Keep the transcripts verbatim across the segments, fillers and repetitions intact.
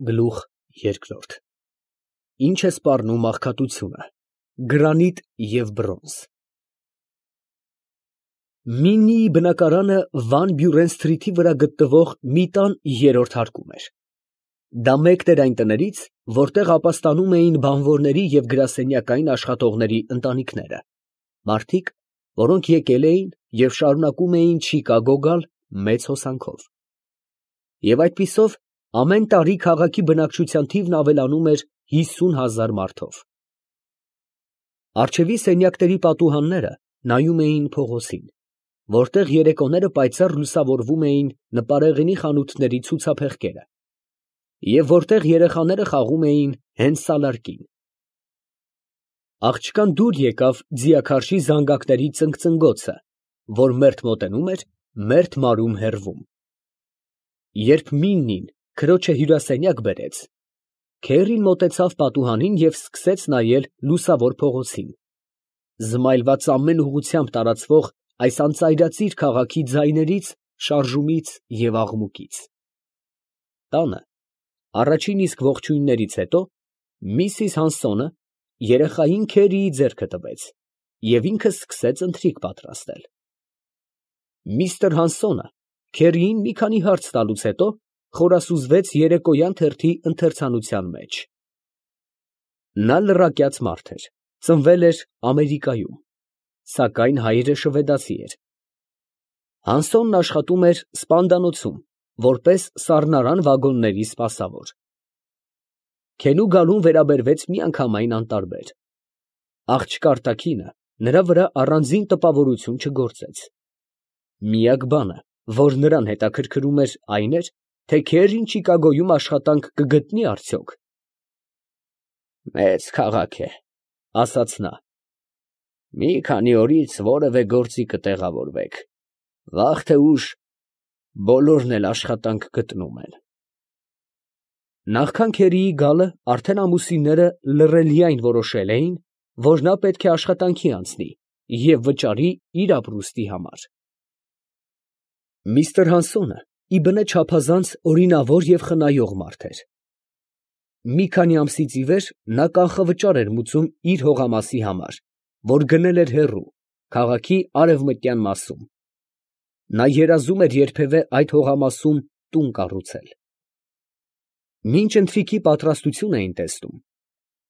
Գլուխ երկրորդ Ինչ է սպառնում աղքատությունը, գրանիտ և բրոնզ։ Միննիի բնակարանը Վան Բյուրեն սթրիթի վրա գտնվող մի տան երրորդ հարկում էր։ Դա մեկն էր այն տներից, որտեղ ապաստանում էին բանվորների և գրասենյակային աշխատողների ընտանիքները, մարդիկ, որոնք եկել էին և շարունակում էին Չիկագո գալ մեծ հոսանքով։ Եվ այդպիսով ամեն տարի քաղաքի բնակչության թիվն ավելանում էր հիսուն հազար մարդով։ Առջևի սենյակների պատուհանները նայում էին փողոցին, որտեղ երեկոները պայծառ լուսավորվում էին նպարեղենի խանութների ցուցափեղկերը, և որտեղ երեխաները խաղում էին հենց սալարկին։ Աղջկան դուր եկավ ձիաքարշի զանգակների ծնգծնգոցը, որ մերթ մոտենում էր, մերթ մարում հեռվում։ Երբ Միննին քրոջը հյուրասենյակ բերեց, քեռին մոտեցավ պատուհանին և սկսեց նայել լուսավոր փողոցին, զմայլված ամեն ուղղությամբ տարածվող այս անծայրածիր քաղաքի ձայներից, շարժումից և աղմուկից։ Տանը, առաջին իսկ ողջույններից հետո, միսիս Հանսոնը երեխային Քերիի ձեռքը տվեց և ինքը սկսեց ընթրիք պատրաստել։ Միսթր Հանսոնը քերիին մի քանի հարց տալուց հետո խորասուզվեց երեկոյան թերթի ընթերցանության մեջ։ Նա լրակյաց մարդ էր, ծնվել էր Ամերիկայում, սակայն հայրը շվեդացի էր։ Հանսոնն աշխատում էր սպանդանոցում, որպես սառնարան վագոնների սպասավոր։ Քենու գալուն վերաբերվեց միանգամայն անտարբեր։ Աղջկա արտաքինը նրա վրա առանձին տպավորություն չգործեց։ Միակ բանը, որ նրան հետաքրքրում էր, այն էր, թե քերին Չիկագոյում աշխատանք կգտնի՞ արդյոք։ «Մեծ քաղաք է, ֊ ասաց նա, ֊ մի քանի օրից որևէ գործի կտեղավորվեք, վաղ թե ուշ բոլորն էլ աշխատանք գտնում են»։ Նախքան քերիի գալը արդեն ամուսինները լռելիայն որոշել էին, որ նա պետք է աշխատանքի անցնի և վճարի իր ապրուստի համար։ Միսթր Հանսոնը ի բնե չափազանց օրինավոր և խնայող մարդ էր։ Մի քանի ամսից ի վեր նա կանխավճար էր մուծում իր հողամասի համար, որ գնել էր հեռու, քաղաքի արևմտյան մասում։ Նա երազում էր երբևէ այդ հողամասում տուն կառուցել։ Մինչ ընթրիքի պատրաստություն էին տեսնում,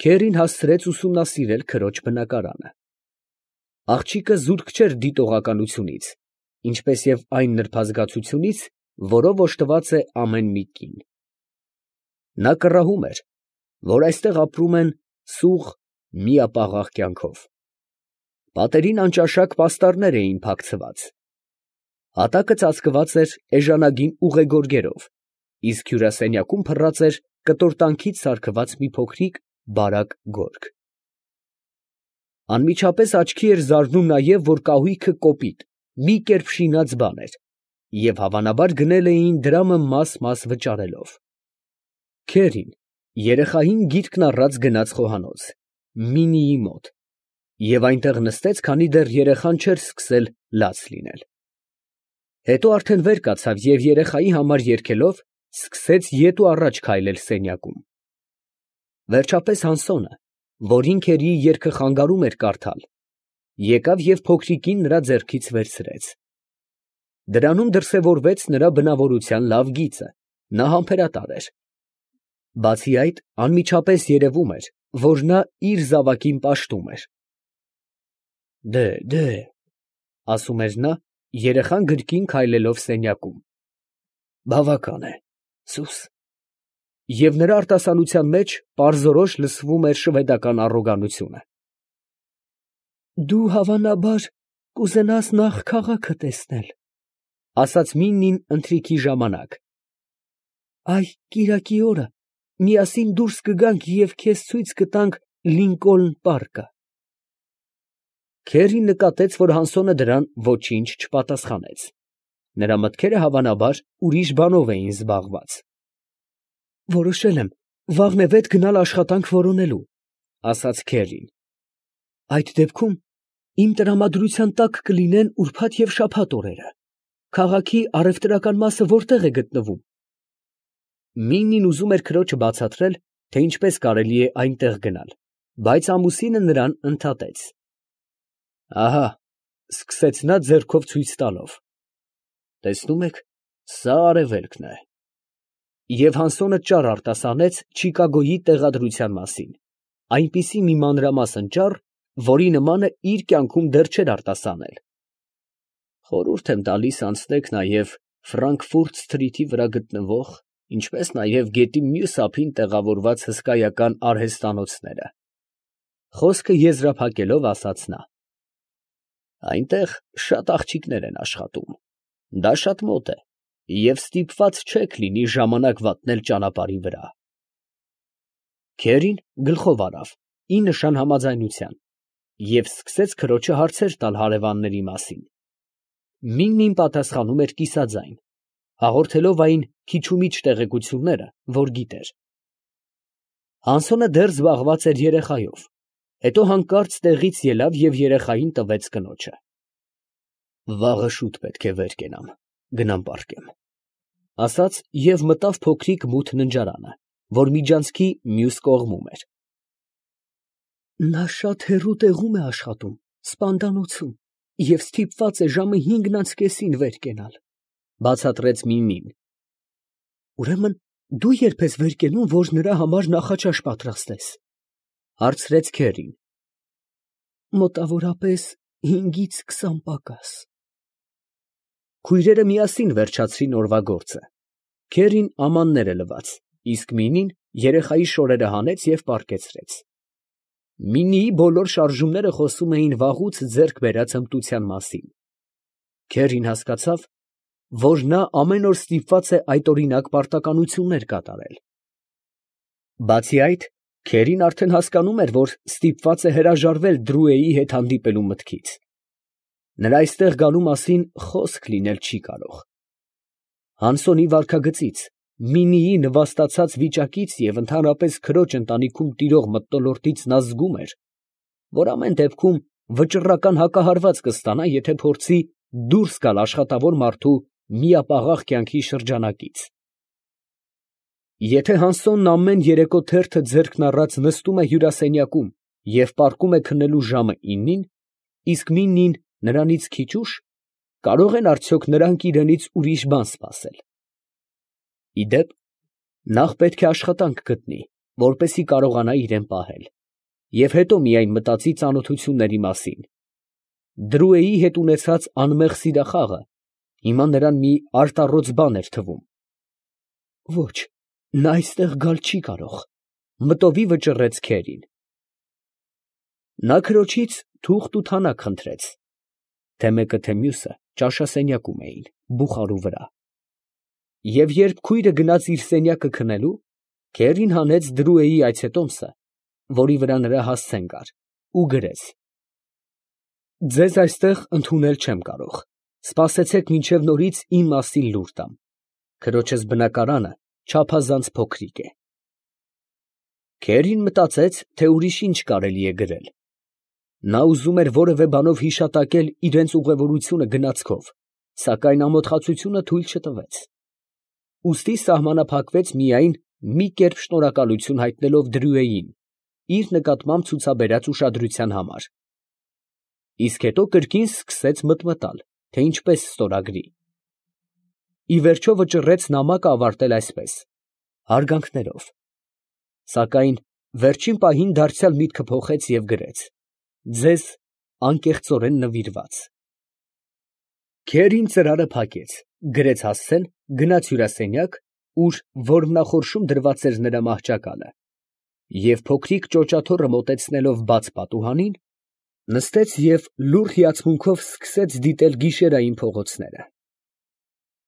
քերին հասցրեց ուսումնասիրել քրոջ բնակարանը։ Աղջիկը զուրկ չէր դիտողականությունից, ինչպես և այն նրբազգացությունից, որով օժտված է ամեն մի կին։ Նա կռահում էր, որ այստեղ ապրում են սուղ, միապաղաղ կյանքով։ Պատերին անճաշակ պաստառներ էին փակցված։ Հատակը ծածկված էր էժանագին ուղեգորգերով, իսկ հյուրասենյակում փռած էր կտորտանքից սարքված մի փոքրիկ բարակ գորգ։ Անմիջապես աչքի էր զարնում նաև, որ կահույքը կոպիտ, մի կերպ շինած բան էր, և հավանաբար գնել էին դրամը մաս֊մաս վճարելով։ Քերին երեխային գիրկն առած գնաց խոհանոց, Միննիի մոտ, և այնտեղ նստեց, քանի դեռ երեխան չէր սկսել լաց լինել։ Հետո արդեն վեր կացավ և երեխայի համար երգելով, սկսեց ետ ու առաջ քայլել սենյակում։ Վերջապես Հանսոնը, որին քերիի երգը խանգարում էր կարդալ, եկավ և փոքրիկին նրա ձեռքից վերցրեց։ Դրանում դրսևորվեց նրա բնավորության լավ գիծը, նա համբերատար էր։ Բացի այդ, անմիջապես երևում էր, որ նա իր զավակին պաշտում էր։ «Դե՛, դե՛, ֊ ասում էր նա, երեխան գրկին քայլելով սենյակում, ֊ բավական է, սուս»։ Եվ նրա արտասանության մեջ պարզորոշ լսվում էր շվեդական առոգանությունը։ «Դու հավանաբար կուզենաս նախ քաղաքը տեսնել, ֊ ասաց Միննին ընթրիքի ժամանակ։ ֊ Այ կիրակի օրը միասին դուրս կգանք և քեզ ցույց կտանք Լինկոլն պարկը։ Քերին նկատեց, որ Հանսոնը դրան ոչինչ չպատասխանեց. նրա մտքերը հավանաբար ուրիշ բանով էին զբաղված։ ֊ Որոշել եմ վաղն է վետ գնալ աշխատանք որոնելու, ֊ ասաց քերին։ ֊ Այդ դեպքում իմ տրամադրության տակ կլինեն ուրբաթ և շաբաթ օրերը։ Քաղաքի առևտրական մասը որտե՞ղ է գտնվում։ ֊ Մինին ուզում էր քրոջը բացատրել, թե ինչպես կարելի է այնտեղ գնալ, բայց ամուսինը նրան ընդհատեց։ Ահա, սկսեց նա ձեռքով ցույց տալով. տեսնում եք, սա արևելքն է։ Եվ Հանսոնը ճառ արտասանեց Չիկագոյի տեղադրության մասին, այնպիսի մի մանրամասն ճառ, որի նմանը իր կյանքում դեռ չէր արտասանել։ Խորհուրդ եմ տալիս անցնեք նաև Ֆրանկֆուրտ Սթրիթի վրա գտնվող, ինչպես նաև գետի մյուս ափին տեղավորված հսկայական արհեստանոցները։ Խոսքը եզրափակելով ասաց նա. այնտեղ շատ աղջիկներ են աշխատում, դա շատ մոտ է, և ստիպված չեք լինի ժամանակ վատնել ճանապարհի վրա։ Քերին գլխով արավ, ի նշան համաձայնության, և սկսեց քրոջը հարցեր տալ հարևանների մասին։ Միննին պատասխանում էր կիսաձայն, հաղորդելով այն քիչումիչ տեղեկությունները, որ գիտեր։ Հանսոնը դեռ զբաղված էր երեխայով, հետո հանկարծ տեղից ելավ և երեխային տվեց կնոջը։ Վաղը շուտ պետք է վեր կենամ, գնամ պառկեմ, ասաց և մտավ փոքրիկ մութ ննջարանը, որ միջանցքի մյուս կողմում էր։ Նա շատ հեռու տեղում է աշխատում, սպանդանոցում, և ստիպված է ժամը հինգն անց կեսին վեր կենալ, բացատրեց Միմին։ Ուրեմն դու ե՞րբ ես վեր կենում, որ նրա համար նախաճաշ պատրաստես, հարցրեց Քերին։ Մոտավորապես հինգից քսան պակաս։ Քույրերը միասին վերջացրին օրվա գործը։ Քերին ամանները լվաց, իսկ Մինին երեխայի շորերը հանեց և պառկեցրեց։ Մինիի բոլոր շարժումները խոսում էին վաղուց ձեռք բերած հմտության մասին։ Քերին հասկացավ, որ նա ամեն օր ստիպված է այդօրինակ պարտականություններ կատարել։ Բացի այդ, Քերին արդեն հասկանում էր, որ ստիպված է հրաժարվել Դրուեի հետ հանդիպելու մտքից։ Նրա այստեղ գալու մասին խոսք լինել չի կարող։ Հանսոնի վարքագծից, Մինիի նվաստացած վիճակից և ընդհանրապես քրոջ ընտանիքում տիրող մթնոլորտից նա զգում էր, որ ամեն դեպքում վճռական հակահարված կստանա, եթե փորձի դուրս գալ աշխատավոր մարդու միապաղաղ կյանքի շրջանակից։ Եթե Հանսոնն ամեն երեկո թերթը ձեռքն առած նստում է հյուրասենյակում և պառկում է քննելու ժամը իննին, իսկ Մինին նրանից քիչ ուշ, կարող են արդյոք նրանք իրենից ուրիշ բան սպասել։ Ի դեպ, նախ պետք է աշխատանք գտնի, որպեսզի կարողանա իրեն պահել, և հետո միայն մտածի ծանոթությունների մասին։ Դրուեի հետ ունեցած անմեղ սիրախաղը հիմա նրան մի արտառոց բան էր թվում։ Ոչ, նա այստեղ գալ չի կարող, մտովի վճռեց Քերին։ Նա քրոջից թուղթ ու թանակ խնդրեց, թե մեկը թե մյուսը ճաշասենյակում էին, բուխարու վրա։ Եվ երբ քույրը գնաց իր սենյակը քնելու, Քերին հանեց Դրուեի այցետոմսը, որի վրա նրա հասցեն կար, ու գրեց. ձեզ այստեղ ընդունել չեմ կարող, սպասեցեք մինչև նորից իմ մասին լուր տամ, քրոջս բնակարանը չափազանց փոքրիկ է։ Քերին մտածեց, թե ուրիշ ինչ կարելի է գրել։ Նա ուզում էր որևէ բանով հիշատակել իրենց ուղևորությունը գնացքով, սակայն ամոթխածությունը թույլ չտվեց։ Ուստի սահմանափակվեց միայն մի կերպ շնորհակալություն հայտնելով Դրուեին իր նկատմամբ ցուցաբերած ուշադրության համար։ Իսկ հետո կրկին սկսեց մտմտալ, թե ինչպես ստորագրի։ Ի վերջո վճռեց նամակը ավարտել այսպես. հարգանքներով։ Սակայն վերջին պահին դարձյալ միտքը փոխեց և գրեց. ձեզ անկեղծորեն նվիրված։ Քերին ծրարը փակեց, գրեց հասցեն, գնաց հյուրասենյակ, ուր որմնախորշում դրված էր նրա մահճակալը, և փոքրիկ ճոճաթոռը մոտեցնելով բաց պատուհանին, նստեց և լուռ հիացմունքով սկսեց դիտել գիշերային փողոցները։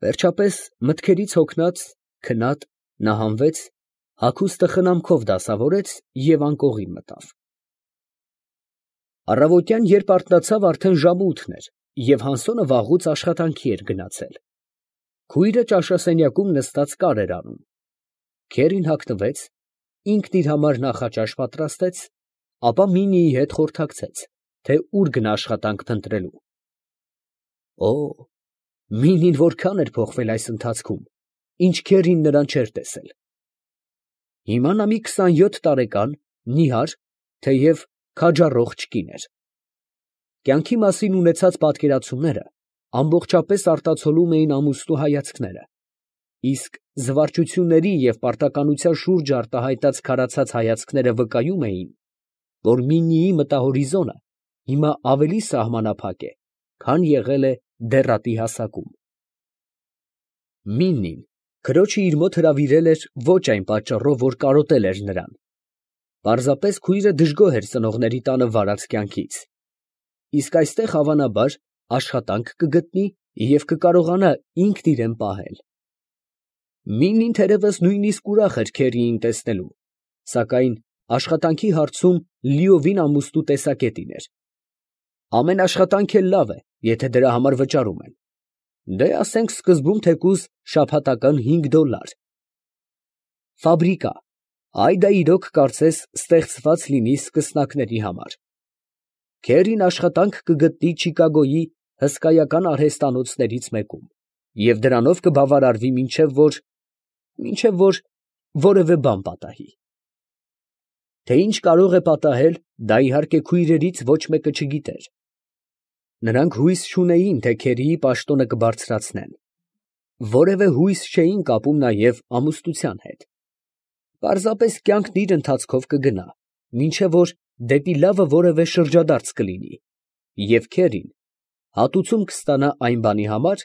Վերջապես, մտքերից հոգնած, քնած, նա հանվեց, հագուստը խնամքով դասավորեց և անկողին մտավ։ Առավոտյան, երբ արթնացավ, արդեն ժամը ութն էր, և Հանսոնը վաղուց աշխատանքի էր գնացել։ Քույրը ճաշասենյակում նստած կար էր անում։ Քերին հագնվեց, ինքն իր համար նախաճաշ պատրաստեց, ապա Մինիի հետ խորհրդակցեց, թե ուր գնա աշխատանք փնտրելու։ Օ, Մինին որքան էր փոխվել այս ընթացքում, ինչ Քերին նրան չէր տեսել։ Հիմա նա մի քսանյոթ տարեկան, նիհար, թեև քաջառողջ կին էր։ Կյանքի մասին ունեցած պատկերացումները ամբողջապես արտացոլում էին ամուսնու հայացքները, իսկ զվարճությունների և պարտականության շուրջ արտահայտած քարացած հայացքները վկայում էին, որ Միննիի մտահորիզոնը հիմա ավելի սահմանափակ է, քան եղել է դեռատի հասակում։ Միննին քրոջը իր մոտ հրավիրել էր ոչ այն պատճառով, որ կարոտել էր նրան. պարզապես քույրը դժգոհ էր ծնողների տանը վարած կյանքից, իսկ այստեղ հավանաբար աշխատանք կգտնի և կկարողանա ինքն իրան պահել։ Միննին թերևս նույնիսկ ուրախ էր Քերիին տեսնելու, սակայն աշխատանքի հարցում լիովին ամուսնու տեսակետին էր։ Ամեն աշխատանք էլ լավ է, եթե դրա համար վճարում են, դե, ասենք սկզբում թեկուզ շաբաթական հինգ դոլար։ Ֆաբրիկա, այ դա իրոք կարծես ստեղծված լինի սկսնակների համար։ Քերին աշխատանք կգտնի Չիկագոյի հսկայական արհեստանոցներից մեկում և դրանով կբավարարվի մինչև որ… մինչև որ որևէ բան պատահի։ Թե ինչ կարող է պատահել, դա իհարկե քույրերից ոչ մեկը չգիտեր։ Նրանք հույս չունեին, թե Քերիի պաշտոնը կբարձրացնեն, որևէ հույս չէին կապում նաև ամուսնության հետ։ Պարզապես կյանքն իր ընթացքով կգնա, մինչև որ դեպի լավը որևէ շրջադարձ կլինի, և Քերին հատուցում կստանա այն բանի համար,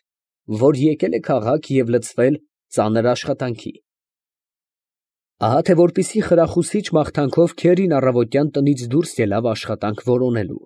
որ եկել է քաղաք և լցվել ծանր աշխատանքի։ Ահա թե որպեսզի խրախուսիչ մաղթանքով Քերին առավոտյան տնից դուրս ելավ աշխատանք որոնելու։